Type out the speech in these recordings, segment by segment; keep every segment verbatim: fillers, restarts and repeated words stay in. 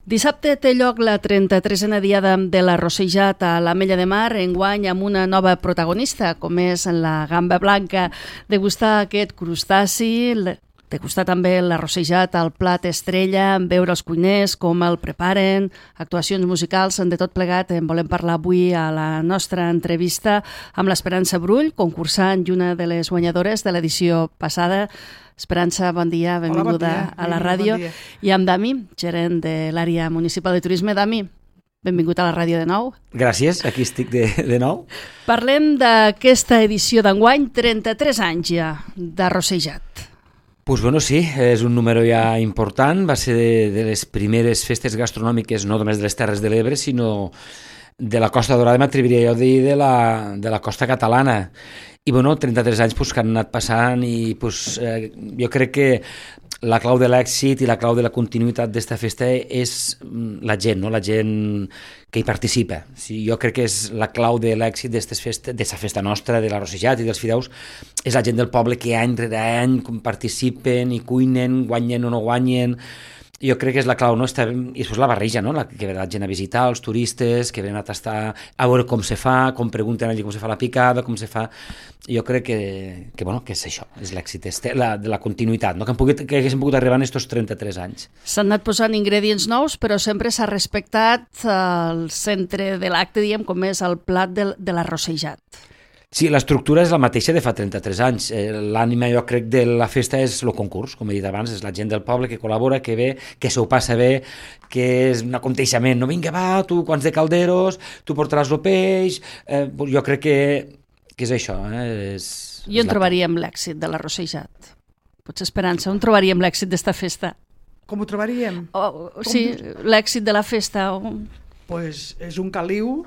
Dissabte té lloc la trenta-tresena diada de la Rossejat a l'Ametlla de Mar, enguany amb una nova protagonista, com és la gamba blanca. Degustar aquest crustaci, degustar també la Rossejat al plat estrella, veure els cuiners, com el preparen, actuacions musicals, de tot plegat. En volem parlar avui a la nostra entrevista amb l'Esperança Brull, concursant i una de les guanyadores de l'edició passada. Esperança, bon dia, benvinguda Hola, bon dia. a la ràdio. Bon dia. I amb Dami, gerent de l'àrea municipal de turisme. Dami, benvingut a la ràdio de nou. Gràcies, aquí estic de, de nou. Parlem d'aquesta edició d'enguany, trenta-tres anys ja, de Rossejat. Pues bueno, sí, és un número ja important, va ser de, de les primeres festes gastronòmiques, no només de les Terres de l'Ebre, sinó de la Costa Daurada, m'atreviria jo a dir, de la, de la costa catalana. I bueno, trenta-tres anys pues, que han anat passant i pues, eh, jo crec que la clau de l'èxit i la clau de la continuïtat d'esta festa és la gent, no? La gent que hi participa. Sí, jo crec que és la clau de l'èxit d'esta festa, festa nostra, de la Rossejat i dels fideus, és la gent del poble que any rere any participen i cuinen, guanyen o no guanyen. Jo crec que és la clau, no? Està, i després la barreja, no? La, que ve la gent a visitar, els turistes, que venen a tastar, a veure com se fa, com pregunten allí com se fa la picada, com se fa... Jo crec que, que, bueno, que és això, és l'èxit, és la, de la continuïtat, no? Que, pogut, que haguéssim pogut arribar en aquests trenta-tres anys. S'han anat posant ingredients nous, però sempre s'ha respectat el centre de l'acte, diguem, com és el plat de, de la Rossejat. Sí, l'estructura és la mateixa de fa trenta-tres anys. L'ànima, jo crec, de la festa és el concurs, com he dit abans, és la gent del poble que col·labora, que ve, que s'ho passa bé, que és un aconteixement. No, vinga, va, tu quants de calderos, tu portaràs el peix... Eh, jo crec que, que és això. Eh? És, I on trobaríem l'èxit de la Rossejat? Potser Esperança, on trobaríem l'èxit d'esta festa? Com ho trobaríem? Oh, sí, l'èxit de la festa. Pues és un caliu,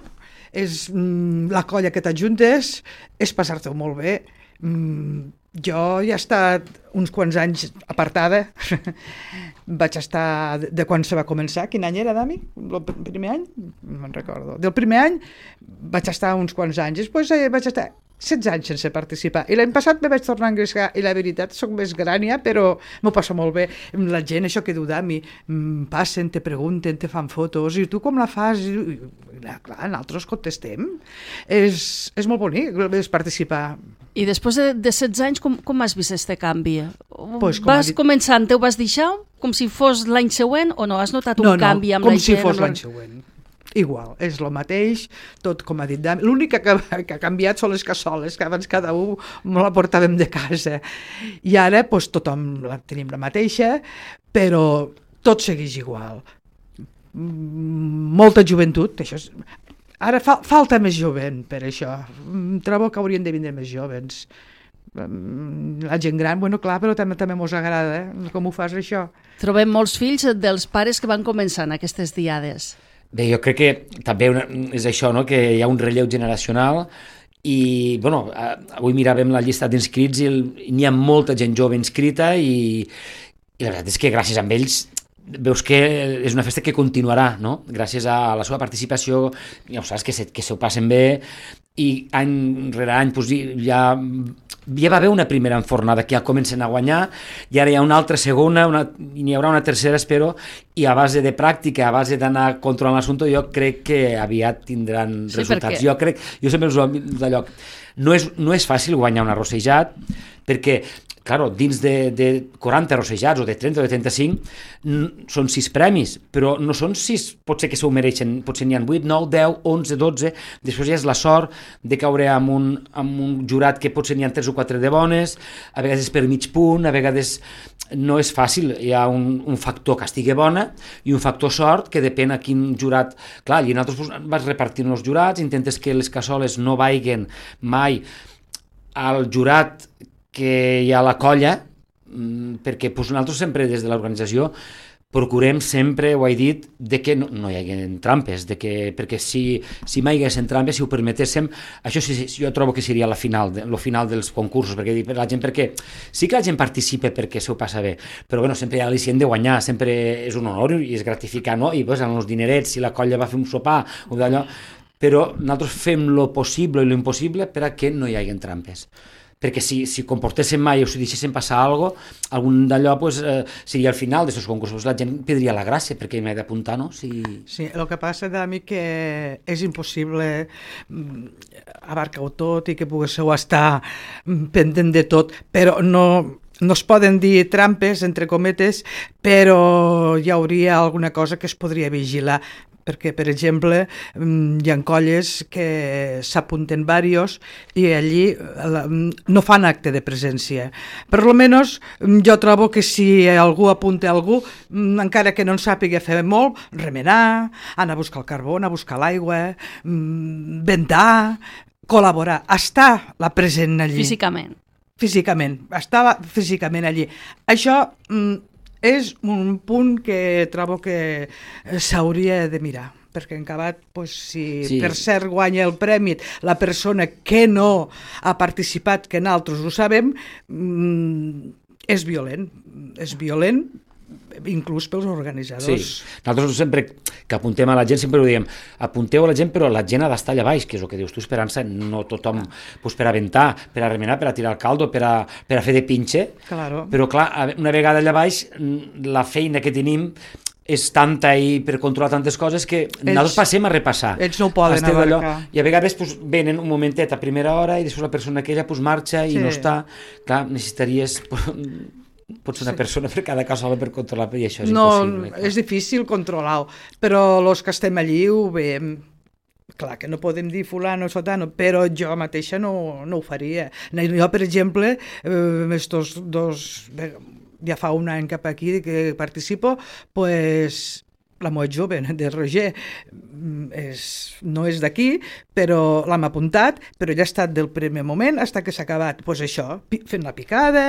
és mm, la colla que t'ajuntes, és passar-te molt bé. Mm, jo ja he estat uns quants anys apartada. Vaig estar de, de quan se va començar. Quin any era, Dami? El primer any? No me'n recordo. Del primer any vaig estar uns quants anys. Després eh, vaig estar setze anys sense participar. I l'any passat me vaig tornar a engrescar i la veritat soc més gran ja, però m'ho passo molt bé. La gent, això que diu Dami, passen, te pregunten, te fan fotos, i tu com la fas? I, i, clar, nosaltres contestem. És, és molt bonic és participar. I després de, de setze anys, com, com has vist aquest canvi? Pues, com vas dit... començant, te ho vas deixar com si fos l'any següent o no? Has notat un no, no, canvi amb la gent? No, com si fos l'any següent. Igual, és el mateix, tot com ha dit Dami. L'únic que, que ha canviat són les cassoles, que abans cada un me la portàvem de casa. I ara pues, tothom la tenim la mateixa, però tot segueix igual. Molta joventut, això és... Ara fa, falta més jovent per això. Trobo que haurien de vindre més jovens. La gent gran, bueno, clar, però també també mos agrada, eh? Com ho fas, això? Trobem molts fills dels pares que van començar en aquestes diades. Bé, jo crec que també una, és això, no? Que hi ha un relleu generacional i, bueno, avui miràvem la llista d'inscrits i n'hi ha molta gent jove inscrita i, i la veritat és que gràcies a ells veus que és una festa que continuarà, no? Gràcies a la seva participació, ja ho saps, que se, que se ho passen bé i any rere any doncs, ja, ja va haver una primera enfornada que ja comencen a guanyar i ara hi ha una altra segona una, i n'hi haurà una tercera, espero, i a base de pràctica, a base d'anar controlant l'assumpte, jo crec que aviat tindran sí, resultats. Perquè... Jo crec, jo sempre us ho dic d'allò, no és, no és fàcil guanyar una Rossejat perquè claro, dins de, de quaranta rossejats o de trenta o de trenta-cinc n- són sis premis, però no són sis, potser que se ho mereixen, potser n'hi ha vuit, nou, deu, onze, dotze, després ja és la sort de caure amb un, amb un jurat que potser n'hi ha tres o quatre de bones, a vegades és per mig punt, a vegades no és fàcil, hi ha un, un factor que estigui bona i un factor sort que depèn a quin jurat, clar, i nosaltres vas repartint els jurats, intentes que les cassoles no vaiguen mai al jurat que hi ha a la colla, perquè doncs, nosaltres sempre des de l'organització procurem sempre, ho he dit, de que no, no hi hagi trampes, de que, perquè si, si mai hi haguessin trampes, si ho permetéssim, això sí, jo trobo que seria la final, el final dels concursos, perquè dic per la gent, perquè sí que la gent participa perquè s'ho passa bé, però bueno, sempre hi ha l'al·licient de guanyar, sempre és un honor i és gratificant, no? I pues, amb els dinerets, si la colla va fer un sopar o d'allò, però nosaltres fem lo possible i lo impossible per a que no hi hagi trampes. perquè si, si comportéssim mai o si deixéssim passar alguna cosa, algun d'allò pues, eh, seria al final d'aquests concursos, la gent perdria la gràcia perquè m'he d'apuntar, no? Si... Sí, el que passa, Dami, que és impossible abarcar-ho tot i que poguéssiu estar pendent de tot, però no, no es poden dir trampes, entre cometes, però hi hauria alguna cosa que es podria vigilar, perquè, per exemple, hi ha colles que s'apunten varios i allí no fan acte de presència. Per lo menos jo trobo que si algú apunta algú, encara que no en sàpiga fer molt, remenar, anar a buscar el carbó, anar a buscar l'aigua, ventar, col·laborar, estar la present allí. Físicament. Físicament, estava físicament allí. Això és un punt que trobo que s'hauria de mirar, perquè en acabat, pues, si sí. per cert guanya el premi la persona que no ha participat, que nosaltres ho sabem, és violent, és violent, inclús pels organitzadors. Sí, nosaltres sempre que apuntem a la gent sempre ho diem, apunteu a la gent però la gent ha d'estar allà baix, que és el que dius tu, Esperança, no tothom pues, per a aventar, per a remenar, per a tirar el caldo, per a, per a fer de pinxe, claro. Però clar, una vegada allà baix la feina que tenim és tanta i per controlar tantes coses que ells, nosaltres passem a repassar. Ells no ho poden abarcar. I a vegades pues, venen un momentet a primera hora i després la persona aquella pues, marxa i sí. no està. Clar, necessitaries... pot ser una sí. persona per cada cas sola per controlar, i això és no, impossible. No, és difícil controlar-ho, però els que estem allí ho veiem. Clar que no podem dir fulano, sotano, però jo mateixa no, no ho faria. Jo, per exemple, eh, estos dos, ja fa un any cap aquí que participo, pues... la meva jove, de Roger, és, no és d'aquí, però l'hem apuntat, però ja ha estat del primer moment fins que s'ha acabat. Doncs pues això, fent la picada,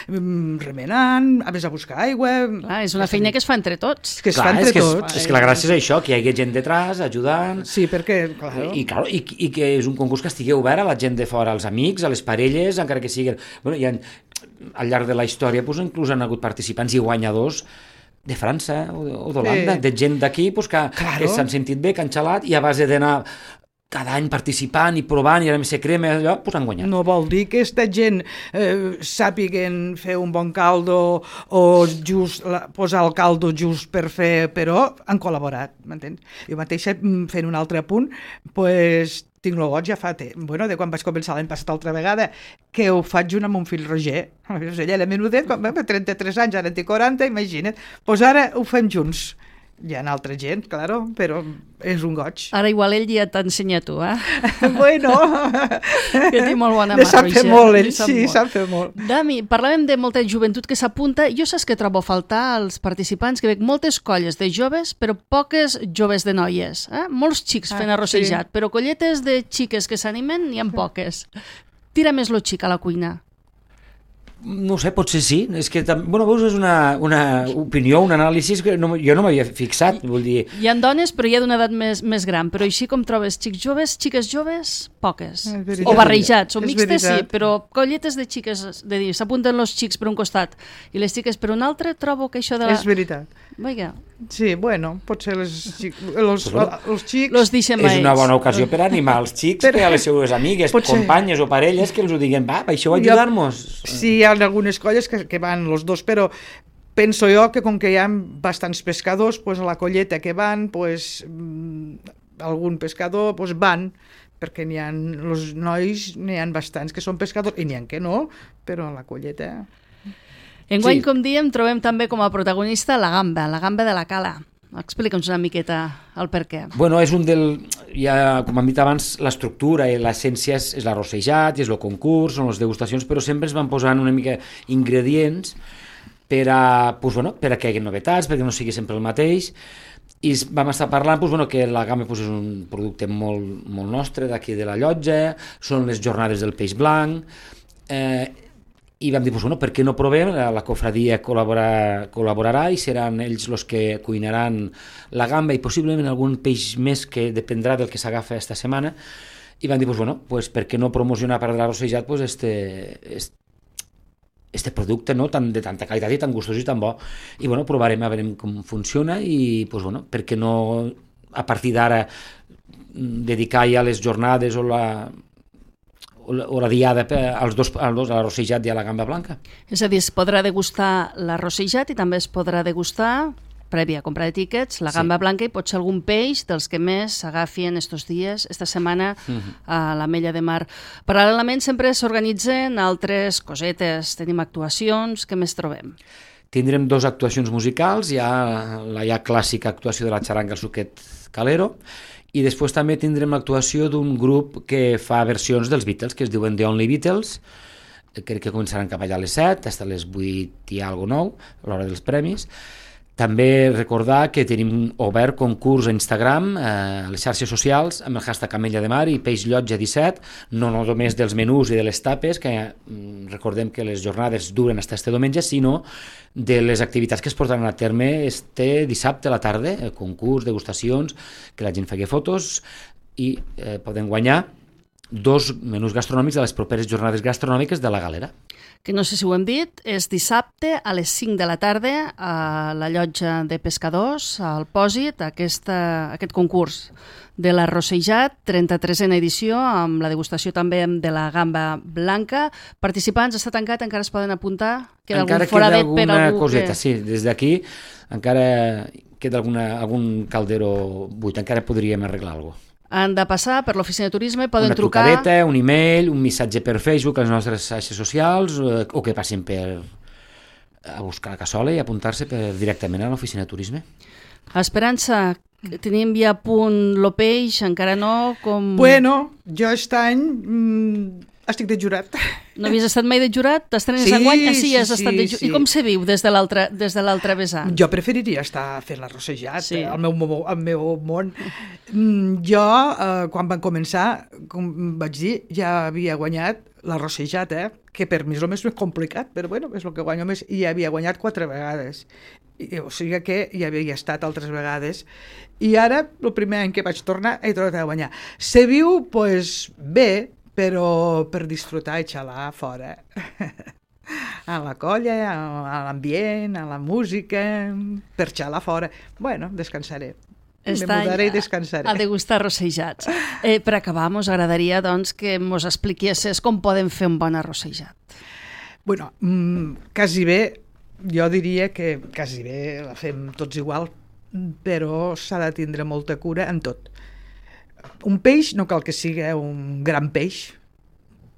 remenant, a més a buscar aigua... Clar, és una feina que es fa entre tots. Que es clar, fa entre és que tots. És, és que la gràcia és això, que hi hagi gent detrás, ajudant... Sí, perquè, clar... I, clar, i, i que és un concurs que estigui obert a la gent de fora, als amics, a les parelles, encara que siguin... Bueno, ha, al llarg de la història, doncs, inclús han hagut participants i guanyadors de França o d'Holanda, sí. de gent d'aquí pues, que, claro. que s'han sentit bé, que han xalat, i a base d'anar cada any participant i provant, i ara més se crema, allò, pues han guanyat. No vol dir que aquesta gent eh, sàpiguen fer un bon caldo o just la, posar el caldo just per fer, però han col·laborat, m'entens? Jo mateixa, fent un altre apunt, pues, tinc el goig ja fa temps, bueno, de quan vaig començar l'any passat altra vegada, que ho faig junt amb un fill Roger. Ella era menudet, quan va trenta-tres anys, ara en té quaranta, imagina't. Doncs pues ara ho fem junts. Hi ha altra gent, claro, però és un goig. Ara igual ell ja t'ensenya tu, eh? Bueno. Que té molt bona mà, Roger. Sap fer molt, ell, sí, sap fer molt. Dami, parlàvem de molta joventut que s'apunta. Jo saps que trobo a faltar als participants, que veig moltes colles de joves, però poques joves de noies. Eh? Molts xics fent ah, arrossejat, sí. però colletes de xiques que s'animen n'hi ha poques. Tira més lo xic a la cuina. No ho sé, potser sí. És que, bueno, veus, és una, una opinió, un anàlisi que no, jo no m'havia fixat, vull dir... Hi ha dones, però hi ha d'una edat més, més gran, però així com trobes xics joves, xiques joves, poques. O barrejats, o mixtes, sí, però colletes de xiques, de dir, s'apunten els xics per un costat i les xiques per un altre, trobo que això de la... És veritat. Vinga. Sí, bueno, potser les xic... els, els xics... Los deixem a ells. És una bona ocasió per animar els xics, per a les seues amigues, potser... companyes o parelles, que els ho diguen, va, això va ajudar-nos. Sí, hi ha algunes colles que, que van els dos, però penso jo que com que hi ha bastants pescadors, pues a la colleta que van, pues, algun pescador pues van, perquè n'hi ha, els nois n'hi ha bastants que són pescadors, i n'hi ha que no, però a la colleta... Enguany, sí. com diem, trobem també com a protagonista la gamba, la gamba de la cala. Explica'ns una miqueta el per què. Bueno, és un del... Ja, com hem dit abans, l'estructura i l'essència és, és l'arrossejat, és el concurs, són les degustacions, però sempre es van posant una mica ingredients per a, pues, bueno, per a que hi hagi novetats, perquè no sigui sempre el mateix. I vam estar parlant pues, bueno, que la gamba pues, és un producte molt, molt nostre, d'aquí de la Llotja, són les jornades del peix blanc, eh, i vam dir, pues, bueno, per què no provem? La cofradia col·laborarà, col·laborarà i seran ells els que cuinaran la gamba i possiblement algun peix més que dependrà del que s'agafa esta setmana. I vam dir, pues, bueno, pues, per què no promocionar per l'arrossejat pues, este, este, este producte, no? Tan, de tanta qualitat i tan gustós i tan bo. I bueno, provarem a veure com funciona i pues, bueno, per què no a partir d'ara dedicar ja les jornades o la... o la diada als dos, als dos, a l'arrossejat i a la gamba blanca. És a dir, es podrà degustar l'arrossejat i també es podrà degustar, prèvia a comprar de tíquets, la gamba sí. blanca i potser algun peix dels que més s'agafien estos dies, esta setmana, uh-huh. a l'Ametlla de Mar. Paral·lelament sempre s'organitzen altres cosetes, tenim actuacions, què més trobem? Tindrem dues actuacions musicals, hi ha la ja clàssica actuació de la xaranga El Suquet Calero, i després també tindrem l'actuació d'un grup que fa versions dels Beatles, que es diuen The Only Beatles, crec que començaran cap allà a les set, fins a les vuit i alguna nou, a l'hora dels premis. També recordar que tenim obert concurs a Instagram, eh, a les xarxes socials, amb el hashtag Ametlla de Mar i Peix Llotja disset, no només dels menús i de les tapes, que mm, recordem que les jornades duren fins este diumenge, sinó de les activitats que es portaran a terme este dissabte a la tarda, el concurs, degustacions, que la gent faci fotos i eh, poden guanyar dos menús gastronòmics de les properes jornades gastronòmiques de la Galera. Que no sé si ho hem dit, és dissabte a les cinc de la tarda a la llotja de pescadors, al Pòsit, aquesta, aquest concurs de l'arrossejat, trenta-tresena edició, amb la degustació també de la gamba blanca. Participants, està tancat, encara es poden apuntar? Queda encara algun foradet queda per alguna algú coseta, que... sí, des d'aquí encara queda alguna, algun caldero buit, encara podríem arreglar alguna cosa. Han de passar per l'oficina de turisme, poden una trucar... Una trucadeta, un email, un missatge per Facebook, a les nostres xarxes socials, o que passin per a buscar la cassola i apuntar-se per, directament a l'oficina de turisme. Esperança, tenim ja a punt lo peix, encara no? Com... Bueno, jo aquest any mmm, estic de jurat. No havies estat mai de jurat? T'estrenes sí, enguany? Ah, sí, has sí, estat de jurat. sí. I com se viu des de l'altre des de l'altre vessant? Jo preferiria estar fent l'arrossejat, sí. al, meu, al meu món. Mm, jo, eh, quan van començar, com vaig dir, ja havia guanyat l'arrossejat, eh? Que per mi és el més complicat, però bueno, és el que guanyo més, i havia guanyat quatre vegades. I, o sigui que ja havia estat altres vegades. I ara, el primer any que vaig tornar, he tornat a guanyar. Se viu, pues, bé, però per disfrutar i xalar fora. A la colla, a l'ambient, a la música, per xalar fora. Bueno, descansaré. Me mudaré i descansaré. A degustar arrossejats. Eh, per acabar, mos agradaria doncs, que mos expliquessis com podem fer un bon arrossejat. Bueno, mm, quasi bé, jo diria que quasi bé la fem tots igual, però s'ha de tindre molta cura en tot. Un peix no cal que sigui un gran peix,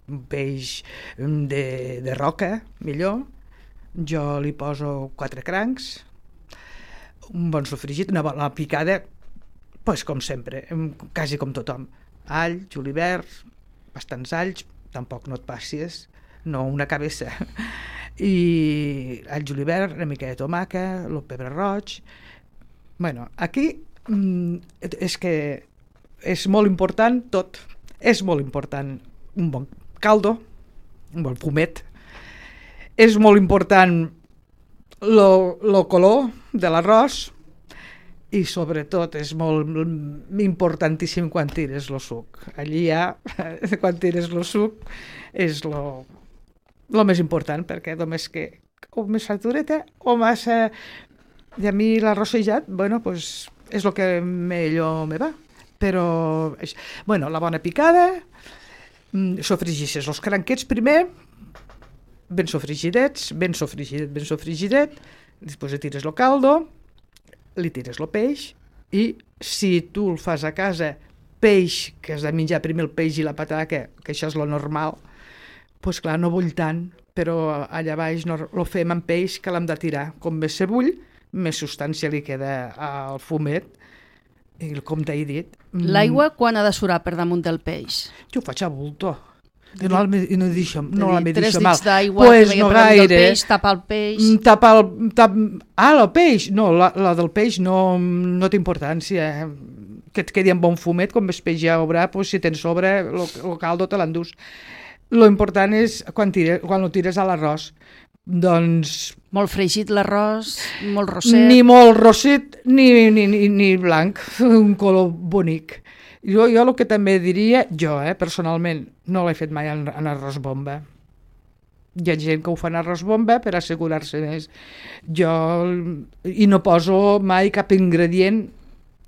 un peix de, de roca, millor. Jo li poso quatre crancs, un bon sofregit, una bona picada, pues, com sempre, quasi com tothom. All, julivert, bastants alls, tampoc no et passis, no una cabessa. I all, julivert, una mica de tomaca, el pebre roig. Bueno, aquí mm, és que és molt important tot, és molt important un bon caldo, un bon fumet, és molt important el color de l'arròs i sobretot és molt importantíssim quan tires el suc. Allí ja, quan tires el suc, és el més important, perquè només que o més satureta o massa... I a mi l'arrossejat, bueno, pues, és el que millor me va. Però, bueno, la bona picada, sofregixes els cranquets primer, ben sofrigidets, ben sofrigidet, ben sofrigidet, després li tires el caldo, li tires el peix, i si tu el fas a casa, peix, que has de menjar primer el peix i la pataca, que això és lo normal, doncs clar, no bull tant, però allà baix no, lo fem amb peix que l'hem de tirar. Com més se bull, més substància li queda al fumet, i com t'he dit... L'aigua quan ha de surar per damunt del peix? Jo ho faig a bulto. I no, no, deixo, no la me deixo Tres mal. dits d'aigua pues que no per damunt del gaire. peix, tapa el peix... Tapa el... Tap... Ah, el peix? No, la, la del peix no, no té importància. Que et quedi amb bon fumet, com més peix ja haurà, pues, si tens sobre, el caldo te l'endús. Lo important és quan, tires, quan lo tires a l'arròs. Doncs... Molt fregit l'arròs, molt rosset... Ni molt rosset ni, ni, ni, ni blanc, un color bonic. Jo, jo el que també diria, jo, eh, personalment, no l'he fet mai en, en arròs bomba. Hi ha gent que ho fa en arròs bomba per assegurar-se més. Jo... I no poso mai cap ingredient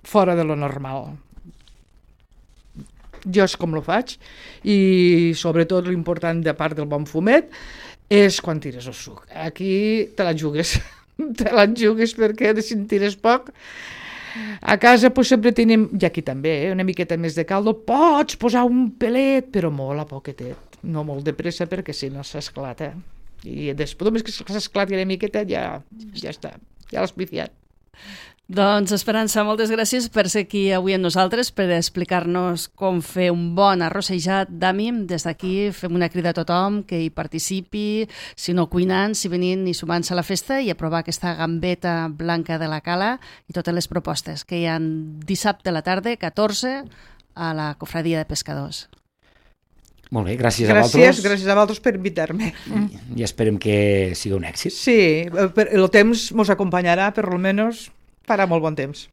fora de lo normal. jo és com lo faig, i sobretot l'important, de part del bon fumet, és quan tires el suc. Aquí te la jugues, te la jugues perquè si en tires poc... A casa pues, sempre tenim, i aquí també, eh, una miqueta més de caldo, pots posar un pelet, però molt a poquetet, no molt de pressa perquè si no s'esclata. I després, només que s'esclati una miqueta, ja, ja està, ja l'has viciat. Doncs, Esperança, moltes gràcies per ser aquí avui amb nosaltres, per explicar-nos com fer un bon arrossejat d'ami. Des d'aquí fem una crida a tothom que hi participi, si no cuinant, si venint i sumant-se a la festa i a provar aquesta gambeta blanca de la Cala i totes les propostes que hi ha dissabte a la tarda, catorze, a la Cofradia de Pescadors. Molt bé, gràcies, gràcies a vosaltres. Gràcies a vosaltres per invitar-me. I, I esperem que sigui un èxit. Sí, el temps ens acompanyarà, per almenys farà molt bon temps.